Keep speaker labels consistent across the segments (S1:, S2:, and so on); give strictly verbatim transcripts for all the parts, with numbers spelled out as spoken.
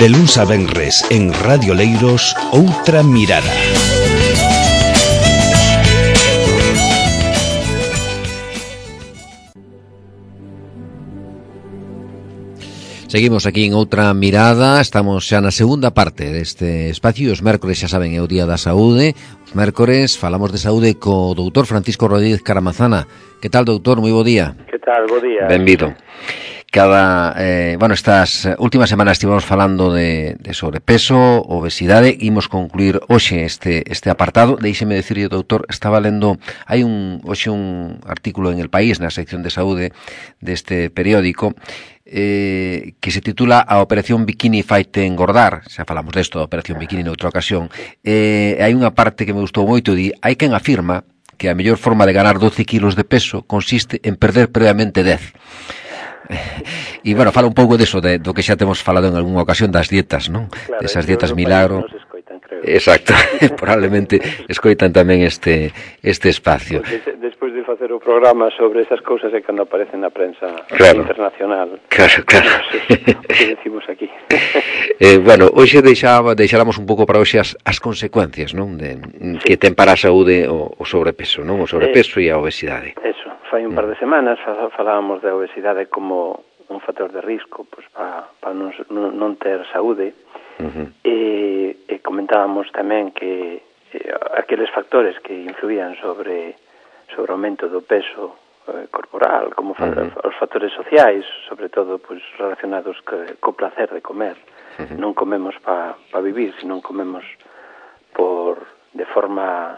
S1: De luns a venres en Radio Leiros, Outra Mirada.
S2: Seguimos aquí en Outra Mirada, estamos xa na segunda parte deste espacio. Os mércores, xa saben, é o Día da Saúde. Os mércores falamos de saúde co doutor Francisco Rodríguez Caramazana. Que tal, doutor? Moi bo día.
S3: Que tal? Bo día.
S2: Benvido. Cada, eh, bueno, estas últimas semanas estivemos falando de, de sobrepeso, obesidade, imos concluir hoxe este este apartado. Deixeme decirlle, doutor, estaba lendo, hai un hoxe un artículo en El País, na sección de saúde deste periódico, eh, que se titula A Operación Bikini faite engordar. Xa falamos desto da Operación Bikini noutra ocasión. Eh, hai unha parte que me gustou moito, di, hai quen afirma que a mellor forma de ganar doce kilos de peso consiste en perder previamente dez. E, bueno, fala un pouco deso, de, do que xa temos falado en algunha ocasión das dietas, non?
S3: Claro,
S2: desas dietas milagro.
S3: Escoitan, creo.
S2: Exacto, probablemente escoitan tamén este este espacio.
S3: Porque despois de facer o programa sobre esas cousas é cando aparecen na prensa
S2: claro.
S3: internacional.
S2: Claro, claro.
S3: O que decimos aquí.
S2: eh, bueno, hoxe deixaba, deixáramos un pouco para hoxe as, as consecuencias, non? De, sí. Que ten para a saúde o, o sobrepeso, non? O sobrepeso eh, e a obesidade.
S3: Eso, fai un par de semanas falábamos da obesidade como un factor de risco pues, para pa non, non ter saúde. Uh-huh. e, e comentábamos tamén que eh, aqueles factores que influían sobre sobre o aumento do peso eh, corporal, como uh-huh. os factores sociais, sobre todo pues, relacionados que, co placer de comer. Uh-huh. Non comemos para pa vivir, sino comemos por de forma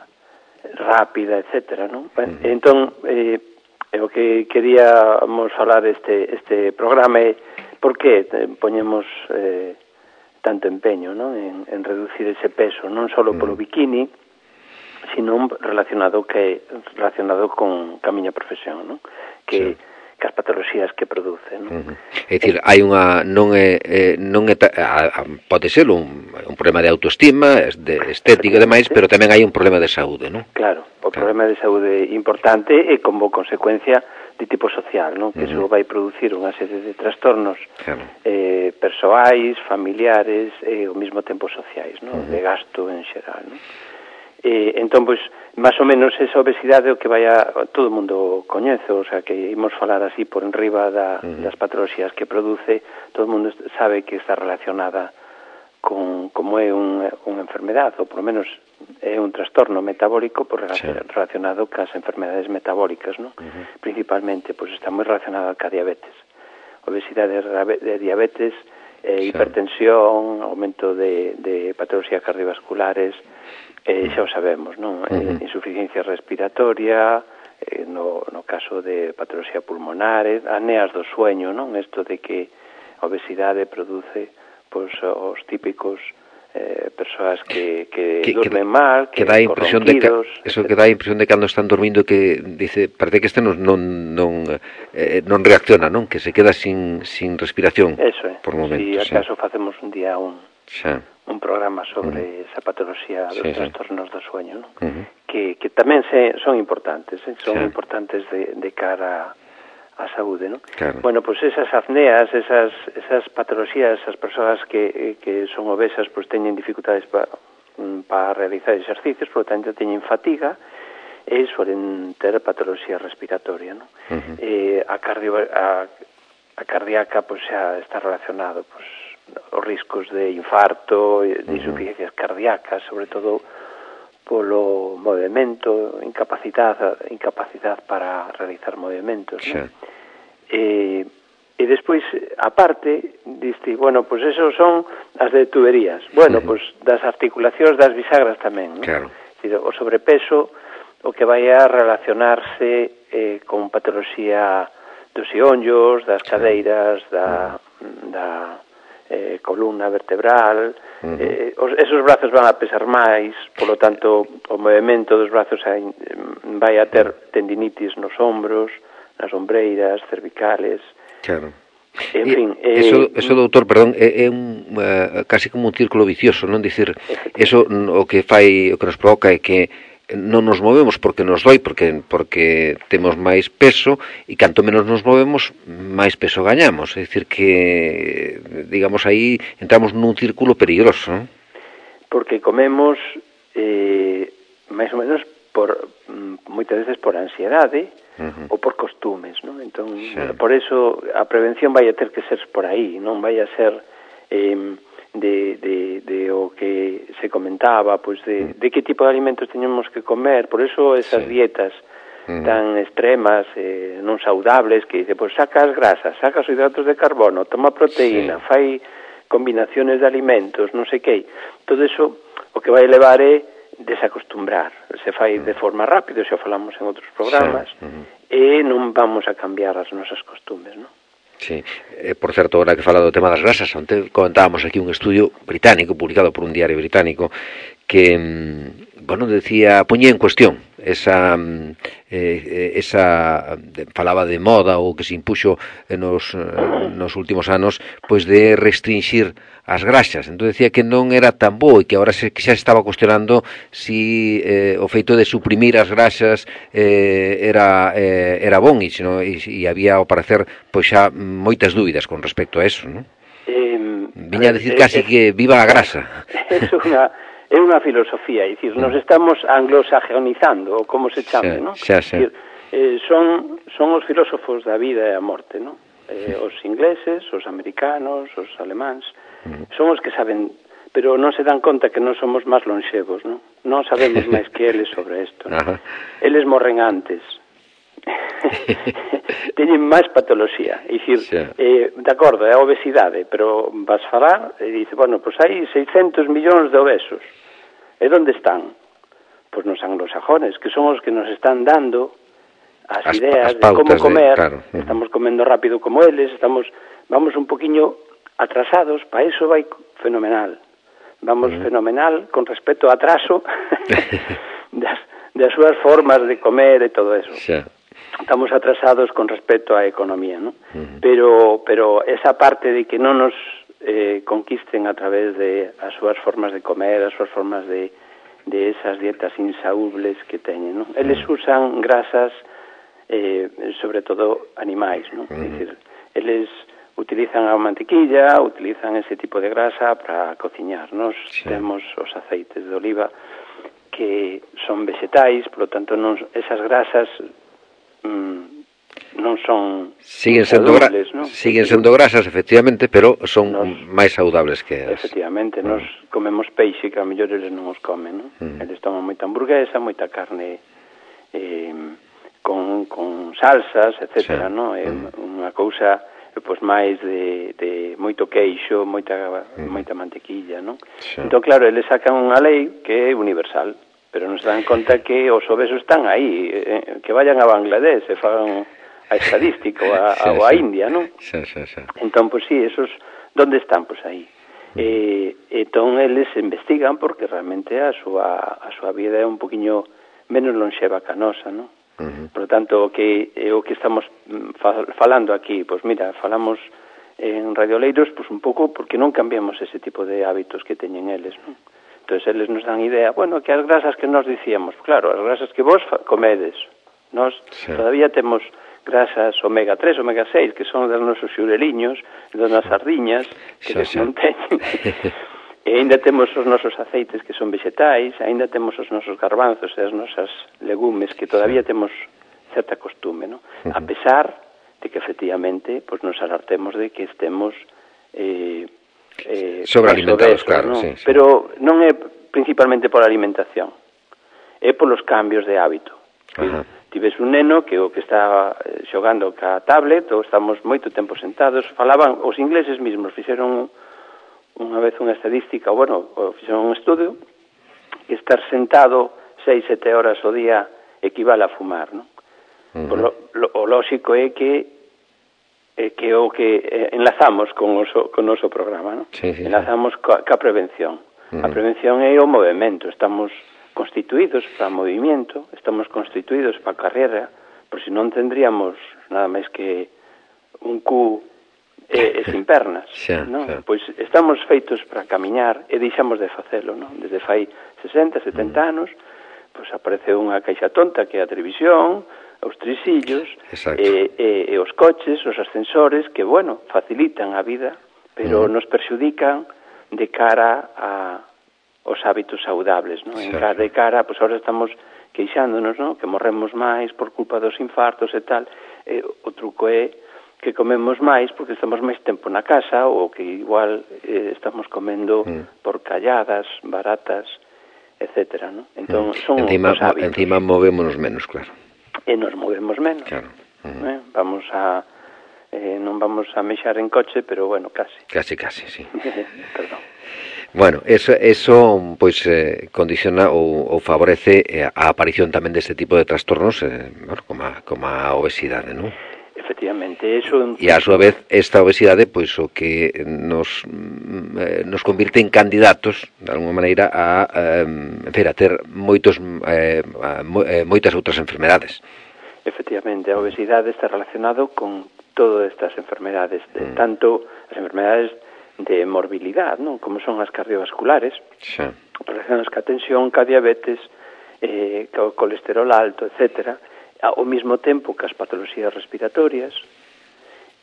S3: rápida, etcétera, non? Uh-huh. Entón, eh, o que queríamos falar este este programa é por que poñemos eh, tanto empeño, ¿no? en, en reducir ese peso, non só mm. polo bikini, sino relacionado que relacionado con a miña profesión, ¿no? Que sí. que as patoloxías que produce, ¿no?
S2: Uh-huh. É dicir, hai unha non é eh, non é a, a, pode ser un, un problema de autoestima, de estética e demais, pero tamén hai un problema de saúde, ¿no?
S3: Claro, o claro. problema de saúde importante e como consecuencia de tipo social, ¿no? Que uh-huh. iso vai producir unha serie de trastornos claro. eh, persoais, familiares e ao mesmo tempo sociais, ¿no? Uh-huh. De gasto en xeral, ¿no? Eh, entón, pois, máis ou menos esa obesidade o que vai a, todo o mundo coñece, o sea, que imos falar así por enriba da, uh-huh. das patoloxías que produce, todo o mundo sabe que está relacionada con como é un, unha enfermedade, ou por lo menos é un trastorno metabólico por sí. relacionado cas enfermedades metabólicas, ¿no? Uh-huh. Principalmente, pois está moi relacionada ca diabetes. Obesidade de diabetes, eh, sí. hipertensión, aumento de, de patoloxías cardiovasculares, eh, xa o sabemos, non? Uh-huh. Eh, insuficiencia respiratoria, eh, no, no caso de patoloxía pulmonar, apneas do sueño, non? Isto de que a obesidade produce pois os típicos eh, persoas que, que, que dormen mal, que,
S2: que dá a impresión de que eso que dá a impresión de cando están dormindo que dice, parece que este non non non, eh, non reacciona, non? Que se queda sin sin respiración.
S3: Eso é.
S2: Por momentos.
S3: Si acaso sí. facemos un día un
S2: xa.
S3: un programa sobre uh-huh. esa patoloxía dos sí, trastornos sí. do sueño, ¿no? Uh-huh. que, que tamén se, son importantes, ¿eh? son sí. importantes de, de cara a saúde, ¿no?
S2: Claro.
S3: Bueno, pues esas apneas, esas esas patoloxías, esas persoas que, que son obesas, pues teñen dificultades para pa realizar exercicios, por lo tanto teñen fatiga e suelen ter patoloxía respiratoria, ¿no? Uh-huh. Eh, a cardio a, a cardíaca pues xa está relacionado pues os riscos de infarto, de uh-huh. insuficiencias cardíacas, sobre todo polo movimento, incapacidade, incapacidade para realizar movimentos, sí. ¿no? E, e despois, aparte, diste, bueno, pois pues esos son as de tuberías. Bueno, uh-huh. pois pues das articulacións das bisagras tamén, ¿no? Claro. Decir, o sobrepeso o que vai a relacionarse eh, con patoloxía dos ionllos, das cadeiras, da, uh-huh. da eh, columna vertebral, uh-huh. eh, os, esos brazos van a pesar máis, polo tanto o movimento dos brazos hai, vai a ter tendinitis nos ombros, nas ombreiras, cervicales.
S2: Claro.
S3: En fin,
S2: eh, eso, eso, doutor, perdón, é, é un uh, casi como un círculo vicioso, non? Dicir, eso o que fai, o que nos provoca é que non nos movemos porque nos doi, porque porque temos máis peso, e canto menos nos movemos, máis peso gañamos. É dicir que digamos, aí entramos nun círculo peligroso, non?
S3: Porque comemos eh, máis ou menos por moitas veces por ansiedade uh-huh. ou por costumes, non? Entón, sí. por eso a prevención vai a ter que ser por aí, non vai a ser eh, de, de, de o que se comentaba, pois de, de que tipo de alimentos teñemos que comer, por eso esas sí. dietas uh-huh. tan extremas, eh, non saudables, que dice, pois saca as grasas, saca os hidratos de carbono, toma proteína, sí. fai combinaciones de alimentos, non sei que, todo eso o que vai levar é desacostumbrar, se fai de forma rápida, xa falamos en outros programas, sí. uh-huh. e non vamos a cambiar as nosas costumes, non?
S2: Sí, eh, por certo, ahora que fala do tema das grasas, onte comentábamos aquí un estudio británico, publicado por un diario británico, que, bueno, decía, poñía en cuestión esa, eh, esa falaba de moda ou que se impuxo nos, nos últimos anos, pois de restringir as grasas. Entón decía que non era tan bo e que agora se, que xa estaba cuestionando si eh, o feito de suprimir as grasas eh, era eh, era bon e, sino, e, e había ao parecer pois xa moitas dúbidas con respecto a eso, non?
S3: Eh,
S2: Viña a decir eh, casi eh, que viva a grasa.
S3: É unha é unha filosofía, é dicir, nos estamos anglosajonizando, ou como se chame, non?
S2: Xa, xa.
S3: Dicir, eh, son son os filósofos da vida e a morte, non? Eh, os ingleses, os americanos, os alemáns, son os que saben, pero non se dan conta que non somos máis lonxevos, non? Non sabemos máis que eles sobre isto, non? Eles morren antes. Teñen máis patoloxía, é dicir, eh, de acordo, é a obesidade, pero vas falar e dice, bueno, pois pues hai seiscentos millóns de obesos. E onde están? Pois pues nos anglosajones, que son os que nos están dando as, as ideas as de como comer, de, claro. Estamos comendo rápido como eles, estamos vamos un poquiño atrasados, para iso vai fenomenal. Vamos uh-huh. fenomenal con respecto ao atraso das, das súas formas de comer e todo eso. Sí. Estamos atrasados con respecto á economía, ¿no? Uh-huh. Pero pero esa parte de que non nos eh, conquisten a través de as súas formas de comer, as súas formas de, de esas dietas insaúbles que teñen, ¿no? Eles usan grasas, eh, sobre todo animais, ¿no? Uh-huh. Es decir, eles utilizan a mantequilla, utilizan ese tipo de grasa para cociñar. Nos sí. temos os aceites de oliva que son vegetais, por lo tanto non, esas grasas mm, non son
S2: siguen sendo gra ¿no? siguen sendo grasas efectivamente, pero son nos, máis saudables que as.
S3: Efectivamente, uh-huh. nos comemos peixe que a mellor eles non os comen, ¿no? Uh-huh. Eles toman moita hamburguesa, moita carne eh, con, con salsas, etcétera, sí. ¿no? É uh-huh. unha cousa pois máis de, de moito queixo, moita uh-huh. moita mantequilla, ¿no? Sí. Entón, claro, eles sacan unha lei que é universal, pero non se dan conta que os obesos están aí, eh, que vayan a Bangladesh e fagan a estadística ou a, sí, a, a India, non?
S2: Sí, sí, sí.
S3: Entón, pois sí, esos, onde están? Pois aí. Uh-huh. Eh, entón, eles investigan porque realmente a súa, a súa vida é un poquinho menos lonxeva que a nosa, non? Uh-huh. Por lo tanto, o que, eh, o que estamos falando aquí, pois mira, falamos en Radioleiros, pois un pouco porque non cambiamos ese tipo de hábitos que teñen eles, non? Entón, eles nos dan idea, bueno, que as grasas que nos dicíamos, claro, as grasas que vos comedes, nós sí. todavía temos grasas omega tres, omega seis, que son dos nosos xureliños, das nas sardiñas, que sí, sí. non teñen. E ainda temos os nosos aceites que son vegetais, ainda temos os nosos garbanzos e as nosas legumes que todavía sí. temos certa costume, ¿no? Uh-huh. A pesar de que efectivamente pues, nos alertemos de que estemos eh, eh,
S2: sobrealimentados, claro,
S3: ¿no?
S2: Sí, sí.
S3: Pero non é principalmente por alimentación, é polos cambios de hábito. Uh-huh. Tives un neno que o que está xogando ca tablet ou estamos moito tempo sentados, falaban, os ingleses mesmos fixeron unha vez unha estadística, bueno, fixeron un estudio, que estar sentado seis, sete horas ao día equivale a fumar, non? Uh-huh. Por lo, lo, o lóxico é que é que o que eh, enlazamos con o, so, con o noso programa, non?
S2: Sí, sí,
S3: enlazamos ca, ca prevención. Uh-huh. A prevención é o movimento, estamos constituídos para movimiento, estamos constituídos para carreira, por si non tendríamos nada máis que un cu e, e sin pernas,
S2: xa,
S3: non?
S2: Xa.
S3: Pois estamos feitos para camiñar e deixamos de facelo, non? Desde fai sesenta, setenta mm. anos, pois apareceu unha caixa tonta que é a televisión, os trisillos e, e, e os coches, os ascensores que, bueno, facilitan a vida, pero
S2: uh-huh.
S3: nos perxudican de cara a os hábitos saudables, non? En cara de cara, pois agora estamos queixándonos, non? Que morremos máis por culpa dos infartos e tal. E o truco é que comemos máis porque estamos máis tempo na casa ou que igual eh, estamos comendo mm. por calladas, baratas, etcétera, non? Entón, mm. son
S2: encima,
S3: os hábitos.
S2: Encima movémonos menos, claro.
S3: E nos movemos menos.
S2: Claro. Mm.
S3: Eh? Vamos a... Eh, non vamos a mexar en coche, pero bueno, casi.
S2: Casi, casi, sí.
S3: Perdón.
S2: Bueno, eso, eso pois eh, condiciona ou, ou favorece eh, a aparición tamén deste tipo de trastornos, eh, bueno, como, a, como a obesidade, non?
S3: Efectivamente, eso...
S2: E a súa vez, esta obesidade, pois o que nos eh, nos convirte en candidatos, de alguma maneira, a, eh, en fin, a ter moitos, eh, a, eh, moitas outras enfermedades.
S3: Efectivamente, a obesidade está relacionado con todas estas enfermedades, de, mm. tanto as enfermedades de morbilidade, non? Como son as cardiovasculares, sí. Relacionadas ca tensión, ca diabetes, eh, ca colesterol alto, etcétera, ao mesmo tempo que as patoloxías respiratorias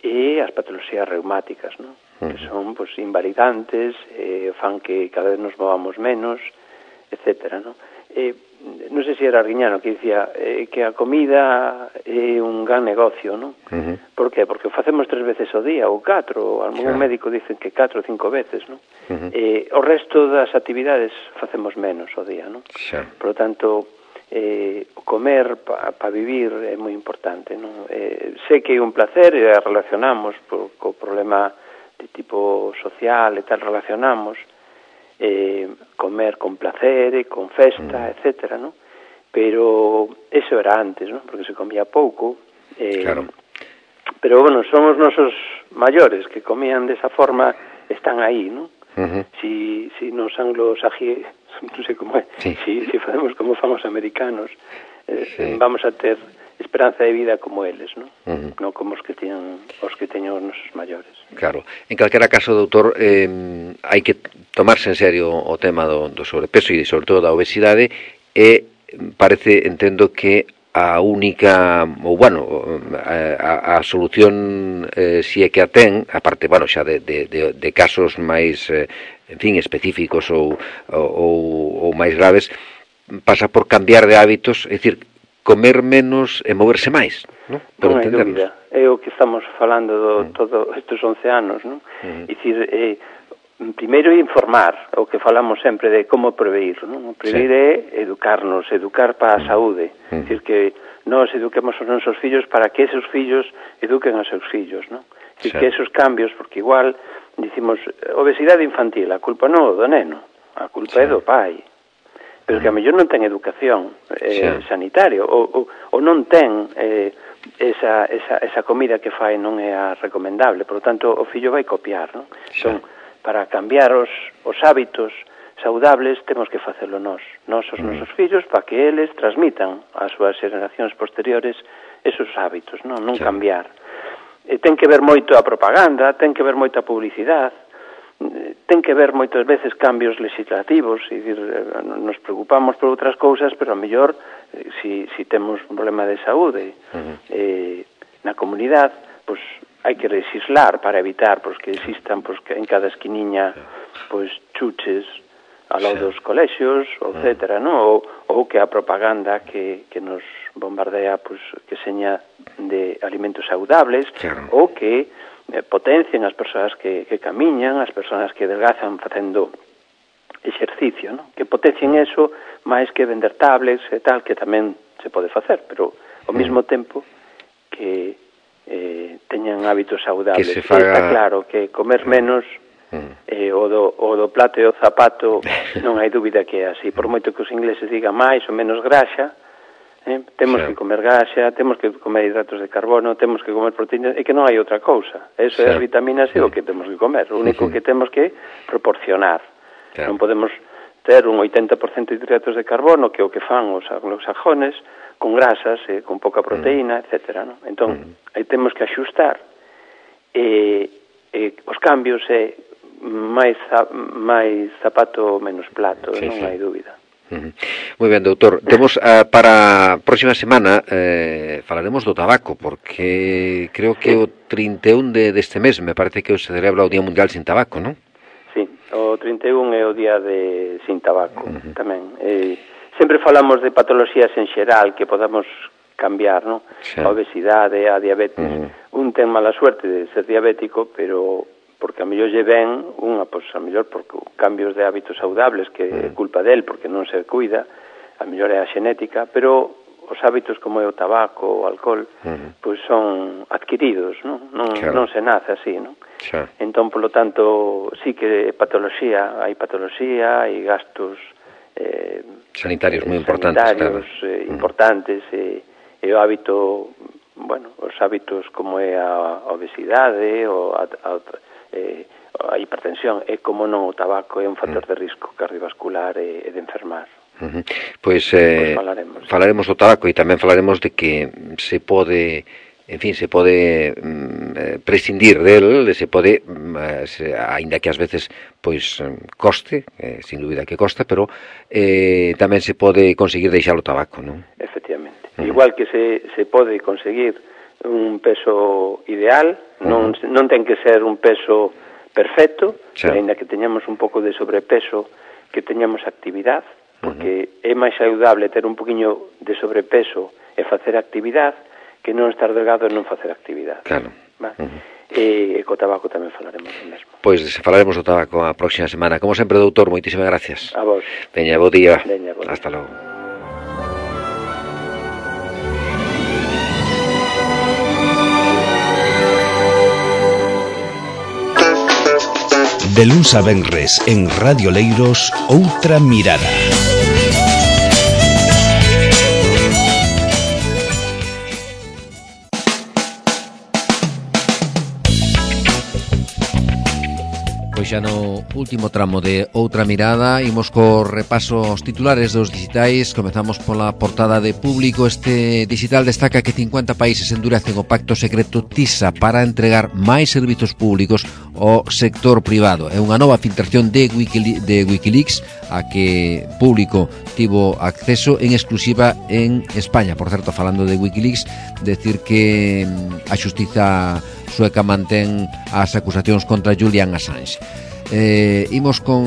S3: e as patoloxías reumáticas, non? Uh-huh. Que son, pois, invalidantes, eh, fan que cada vez nos movamos menos, etcétera, non? Eh, non sei se era Arguiñano que dicía eh, que a comida é un gran negocio, non? Uh-huh. Por que? Porque o facemos tres veces ao día, ou catro, algún claro. Médico dicen que catro ou cinco veces, non? Uh-huh. Eh, o resto das actividades facemos menos ao día, non? Claro. Por lo tanto, eh, comer para pa vivir é moi importante, non? Eh, sei que é un placer e relacionamos por, co problema de tipo social e tal, relacionamos eh, comer con placer e con festa, mm. etcétera, ¿no? Pero eso era antes, ¿no? Porque se comía pouco. Eh, claro. Pero, bueno, son os nosos maiores que comían desa forma, están aí, ¿no? Uh-huh. Si, si nos anglosaxi, non sei como é, sí. si, si facemos como fan os americanos, eh, sí. vamos a ter esperanza de vida como eles, non? Uh-huh. Non como os que teñan os que teñan os nosos maiores.
S2: Claro. En calquera caso, doutor, eh, hai que tomarse en serio o tema do, do sobrepeso e sobre todo da obesidade e parece, entendo que a única, ou bueno, a, a solución eh, si é que a ten, aparte, bueno, xa de, de, de, de casos máis, eh, en fin, específicos ou, ou, ou máis graves, pasa por cambiar de hábitos, é dicir, comer menos e moverse máis, non?
S3: Non hai dúbida. É o que estamos falando do, mm. todo estes once anos, non? Mm. Dicir, eh, primeiro informar, o que falamos sempre de como prevenir, non? O prevenir sí. é educarnos, educar para a saúde. Mm. Dicir que nós eduquemos os nosos fillos para que esos fillos eduquen a seus fillos, non? Dicir sí. que esos cambios, porque igual dicimos obesidade infantil, a culpa non do neno, a culpa sí. é do pai. Pero que a mellor non ten educación eh, sí. sanitaria ou, ou, ou non ten eh, esa, esa, esa comida que fai non é a recomendable, por lo tanto o fillo vai copiar, non? Sí. Entón, para cambiar os, os hábitos saudables temos que facelo nós, nós os mm. nosos fillos, para que eles transmitan ás súas generacións posteriores esos hábitos, non, non sí. cambiar. E ten que ver moito a propaganda, ten que ver moito a publicidade, ten que ver moitas veces cambios legislativos, e dicir, nos preocupamos por outras cousas, pero a mellor si, si temos un problema de saúde uh-huh. eh, na comunidade, pois hai que legislar para evitar pois, que existan pois, que en cada esquiniña pois, chuches ao lado sí. dos colexios, etcétera, uh-huh. no? ou, ou que a propaganda que, que nos bombardea pois, que seña de alimentos saudables, claro. ou que potencian as persoas que, que camiñan, as persoas que delgazan facendo exercicio, ¿no? Que potencien eso máis que vender tablets e tal, que tamén se pode facer, pero ao mesmo tempo que eh, teñan hábitos saudables.
S2: Que se faga...
S3: Está claro que comer menos eh, o, do, o do plato e o zapato non hai dúbida que é así, por moito que os ingleses digan máis ou menos graxa. Eh? Temos sí. que comer gaxa, temos que comer hidratos de carbono, temos que comer proteínas, e que non hai outra cousa. Eso sí. é as vitaminas e sí. o que temos que comer. O único sí. que temos que proporcionar. Claro. Non podemos ter un oitenta por cento de hidratos de carbono, que é o que fan os anglosajones, con grasas, eh, con pouca proteína, mm. etcétera. ¿no? Entón, mm. aí temos que axustar. E, e os cambios é máis, máis zapato, menos plato, sí, non sí. hai dúbida.
S2: Uh-huh. Moi ben, doutor. Temos uh, para a próxima semana eh, falaremos do tabaco, porque creo que o trinta e un de, deste mes me parece que se celebra o Día Mundial Sin Tabaco, non?
S3: Sí, o trinta e un é o Día de Sin Tabaco, uh-huh. tamén. Eh, sempre falamos de patoloxías en xeral que podamos cambiar, non? Sí. A obesidade, a diabetes. Uh-huh. Un ten mala suerte de ser diabético, pero porque a mellor lle ven unha, pois a mellor por cambios de hábitos saudables que é culpa del porque non se cuida, a mellor é a xenética, pero os hábitos como é o tabaco, o alcohol, uh-huh. pois son adquiridos, non? Non, claro. non se nace así, non? Claro. Entón, polo tanto, sí que patoloxía, hai patoloxía, hai gastos eh,
S2: sanitarios moi importantes,
S3: sanitarios,
S2: claro.
S3: eh, importantes, e, e o hábito, bueno, os hábitos como é a obesidade, o a, a Eh, a hipertensión e como non o tabaco é un factor de risco cardiovascular e, e de enfermar.
S2: Uh-huh. Pois, eh, pues falaremos, falaremos do tabaco e tamén falaremos de que se pode, en fin, se pode mm, prescindir del, se pode, mm, se, ainda que ás veces pois coste, eh, sin dúbida que costa, pero eh, tamén se pode conseguir deixar o tabaco, non?
S3: Efectivamente. Uh-huh. Igual que se, se pode conseguir un peso ideal, non, uh-huh. non ten que ser un peso perfecto, sí. pero ainda que teñamos un pouco de sobrepeso, que teñamos actividade, porque uh-huh. é máis saudable ter un poquinho de sobrepeso e facer actividade que non estar delgado e non facer actividade.
S2: Claro.
S3: Uh-huh. E, e co tabaco tamén falaremos do mesmo.
S2: Pois falaremos do tabaco a próxima semana. Como sempre, doutor, moitísimas gracias.
S3: A vos.
S2: Veña, bo día.
S3: Veña, bo día.
S2: Hasta logo.
S1: De luns a venres en Radio Leiros, Outra Mirada.
S2: Pois xa no último tramo de Outra Mirada imos co repaso aos titulares dos digitais. Comezamos pola portada de Público. Este digital destaca que cincuenta países endurecen o pacto secreto TISA para entregar máis servizos públicos ao sector privado. É unha nova filtración de, Wikili- de Wikileaks a que Público tivo acceso en exclusiva en España. Por certo, falando de Wikileaks, decir que a xustiza sueca mantén as acusacións contra Julian Assange. Eh, imos con,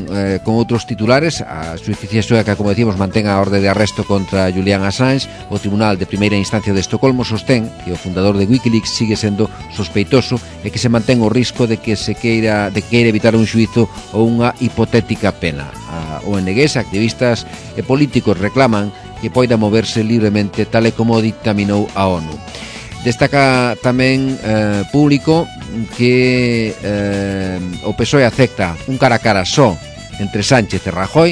S2: eh, con outros titulares. A xusticia sueca, como decimos, mantén a orde de arresto contra Julian Assange. O Tribunal de Primeira Instancia de Estocolmo sostén que o fundador de Wikileaks sigue sendo sospeitoso e que se mantén o risco de que se queira de queira evitar un xuízo ou unha hipotética pena. A O N Gs, activistas e políticos reclaman que poida moverse libremente tal e como dictaminou a ONU. Destaca tamén eh, Público que eh, o P S O E acepta un cara a cara só entre Sánchez e Rajoy.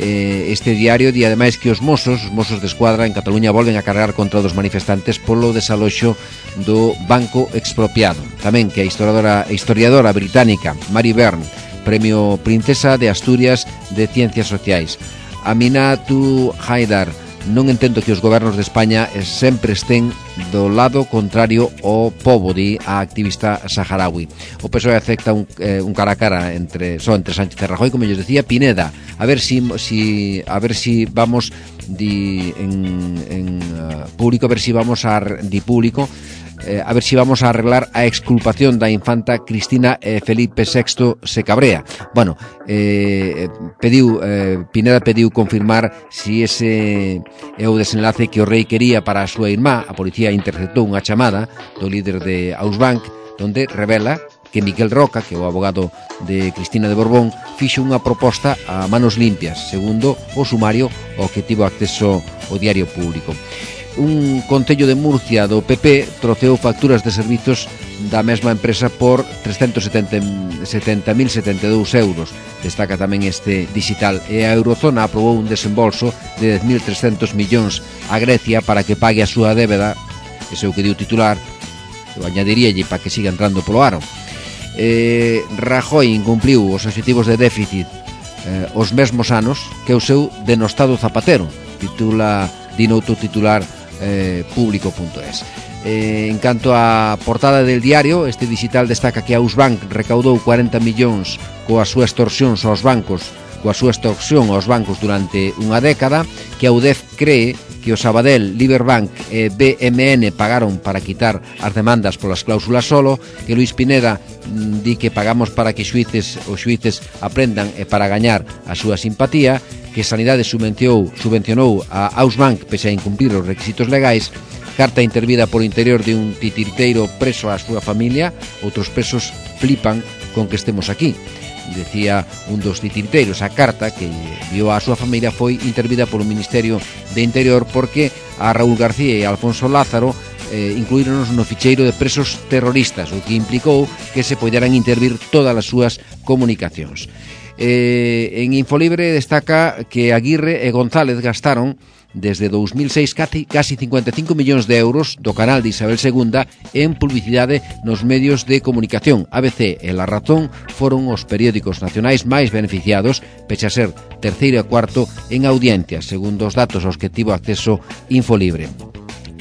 S2: eh, Este diario di ademais que os mozos, os mozos de escuadra en Cataluña volven a cargar contra os manifestantes polo desaloxo do banco expropiado. Tamén que a historiadora, a historiadora británica Mary Byrne, Premio Princesa de Asturias de Ciencias Sociais. Aminatu Haidar: non entendo que os gobernos de España sempre estén do lado contrario ao pobo, di a activista saharaui. O P S O E acepta un, eh, un cara a cara entre, só entre Sánchez e Rajoy, como yo decía. Pineda, a ver si, si a ver si vamos di, en, en uh, Público, a ver si vamos a di Público Eh, a ver si vamos a arreglar a exculpación da infanta Cristina e Felipe sexto se cabrea. Bueno, eh, pediu eh, Pineda pediu confirmar si ese é o desenlace que o rei quería para a súa irmá. A policía interceptou unha chamada do líder de Ausbank donde revela que Miquel Roca, que é o abogado de Cristina de Borbón, fixo unha proposta a manos limpias, segundo o sumario ao que tivo acceso o Diario Público. Un concello de Murcia do P P troceou facturas de servizos da mesma empresa por trescentos setenta mil setenta e dous euros. Destaca tamén este digital. E a Eurozona aprobou un desembolso de dez mil trescentos millóns a Grecia para que pague a súa débeda. Ese é o que diu titular. Eu añadiríalle para que siga entrando polo aro. Eh, Rajoy incumpliu os obxectivos de déficit eh, os mesmos anos que o seu denostado Zapatero. Titula, di noutro titular Eh, Público punto es. Eh, en canto á portada del diario, este digital destaca que Ausbank recaudou cuarenta millóns coas súas extorsións aos bancos coa súa extorsión aos bancos durante unha década, que a U D E F cree que o Sabadell, Liberbank e B M N pagaron para quitar as demandas polas cláusulas solo, que Luis Pineda mm, di que pagamos para que xuíces os xuíces aprendan e para gañar a súa simpatía, que Sanidade subvencionou, subvencionou a Ausbank pese a incumplir os requisitos legais, carta intervida por interior de un titiriteiro preso á súa familia, outros presos flipan con que estemos aquí. Decía un dos titiriteiros, a carta que enviou á súa familia foi intervida polo Ministerio de Interior porque a Raúl García e a Alfonso Lázaro eh, incluíronos no ficheiro de presos terroristas, o que implicou que se poderan intervir todas as súas comunicacións. Eh, en Infolibre destaca que Aguirre e González gastaron desde dous mil seis casi, casi cincuenta e cinco millóns de euros do canal de Isabel segunda en publicidade nos medios de comunicación. A B C e La Razón foron os periódicos nacionais máis beneficiados, pese a ser terceiro e cuarto en audiencias, segundo os datos aos que tivo acceso Infolibre.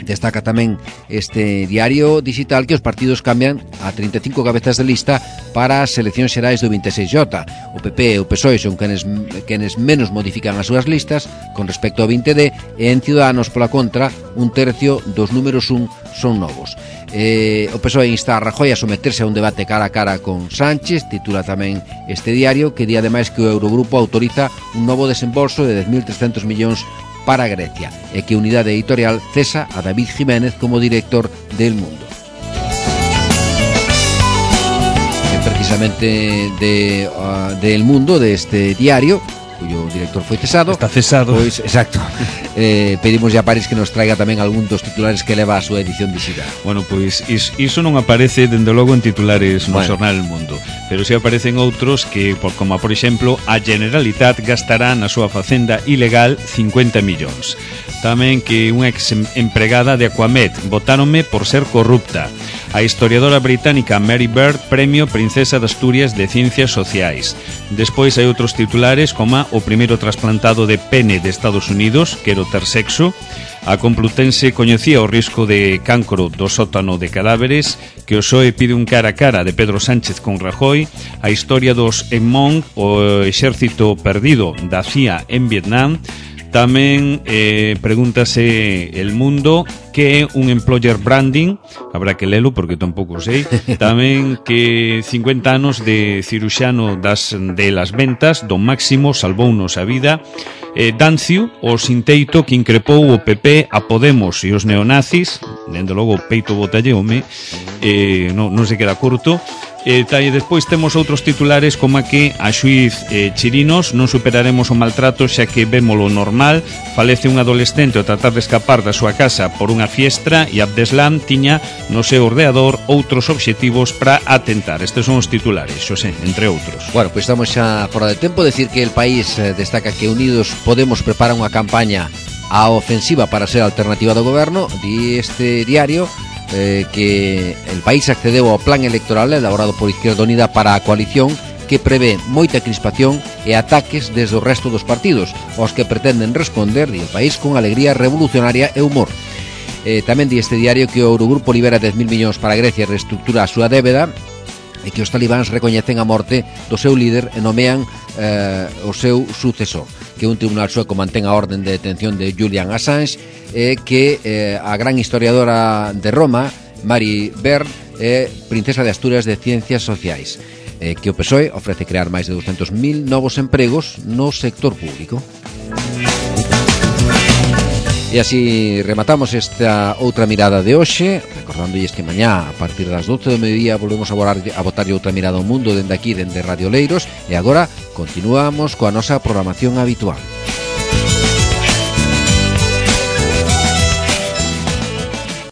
S2: Destaca tamén este diario digital que os partidos cambian a trinta e cinco cabezas de lista para as eleccións xerais do vinte e seis J. O P P e o P S O E son quenes, quenes menos modifican as súas listas con respecto ao vinte D, e en Ciudadanos, pola contra, un tercio dos números un son novos. Eh, o P S O E insta a Rajoy a someterse a un debate cara a cara con Sánchez, titula tamén este diario, que di ademais que o Eurogrupo autoriza un novo desembolso de dez mil trescentos millóns para Grecia, e que Unidade Editorial cesa a David Jiménez como director del Mundo. E precisamente de, uh, del Mundo, de este diario, cuyo director foi cesado.
S4: Está cesado.
S2: Pois, exacto. Eh, pedimos a París que nos traiga tamén algún dos titulares que leva a súa edición digital.
S4: Bueno, pois is, iso non aparece dende logo en titulares no
S2: bueno.
S4: xornal El Mundo, pero si aparecen outros que, por, como por exemplo, a Generalitat gastará na súa facenda ilegal cincuenta millóns. Tamén que unha ex empregada de Aquamed botáronme por ser corrupta. A historiadora británica Mary Bird, premio Princesa de Asturias de Ciencias Sociais. Despois hai outros titulares como o primeiro trasplantado de pene de Estados Unidos, quero ter sexo. A Complutense coñecía o risco de cancro do sótano de cadáveres, que o P S O E pide un cara a cara de Pedro Sánchez con Rajoy. A historia dos Hmong, o exército perdido da C I A en Vietnam. Tamén eh, pregúntase El Mundo que é un employer branding, habrá que lelo porque tampouco sei. Tamén que cincuenta anos de ciruxano das, de las ventas, Don Máximo salvounos a vida. eh, Dancio, o sinteito que increpou o P P a Podemos e os neonazis, dende logo o peito botalleume, eh, non, non se queda curto. E e despois temos outros titulares como que a xuiz eh, Chirinos non superaremos o maltrato xa que vémolo normal. Falece un adolescente ao tratar de escapar da súa casa por unha fiestra e Abdeslam tiña no seu ordenador outros obxectivos para atentar. Estes son os titulares, Xosé, entre outros.
S2: Bueno, pois pues estamos xa fora de tempo. Decir que el país eh, destaca que Unidos Podemos prepara unha campaña a ofensiva para ser alternativa do goberno. Di este diario Eh, que el país accedeu ao plan electoral elaborado por Izquierda Unida para a coalición, que prevé moita crispación e ataques desde o resto dos partidos, aos que pretenden responder, di el país, con alegría revolucionaria e humor. Eh, tamén di este diario que o Eurogrupo libera dez mil millóns para Grecia e reestructura a súa débeda, e que os talibáns recoñecen a morte do seu líder e nomean eh, o seu sucesor, que un tribunal sueco mantén a orden de detención de Julian Assange, e eh, que eh, a gran historiadora de Roma, Mary Bird, é eh, princesa de Asturias de Ciencias Sociais, eh, que o P S O E ofrece crear máis de doscientos mil novos empregos no sector público. E así rematamos esta outra mirada de hoxe, recordándolles que mañá a partir das doce do mediodía volvemos a, volar, a botar outra mirada ao mundo dende aquí, dende Radio Leiros, e agora continuamos coa nosa programación habitual.